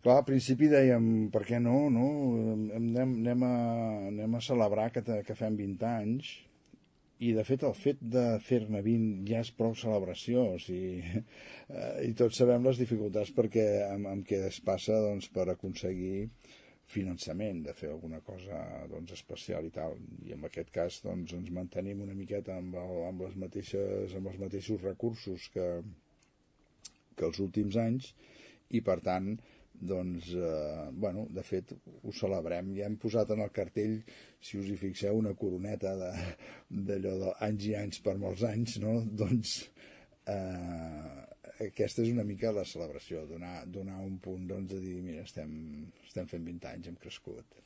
Clar, al principi dèiem, per què no, no? Anem a celebrar que fem 20 anys, i de fet el fet de fer-ne 20 ja és prou celebració, o sigui, i tots sabem les dificultats perquè amb què es passa, doncs, per aconseguir finançament de fer alguna cosa, doncs, especial i tal, i en aquest cas, doncs, ens mantenim una miqueta amb els mateixos recursos que els últims anys, i per tant, doncs, bueno, de fet ho celebrem. Ja hem posat en el cartell, si us hi fixeu, una coroneta d'allò d'anys i anys per molts anys, no? Doncs aquesta és una mica la celebració, donar un punt, doncs, de dir, mira, estem fent 20 anys, hem crescut.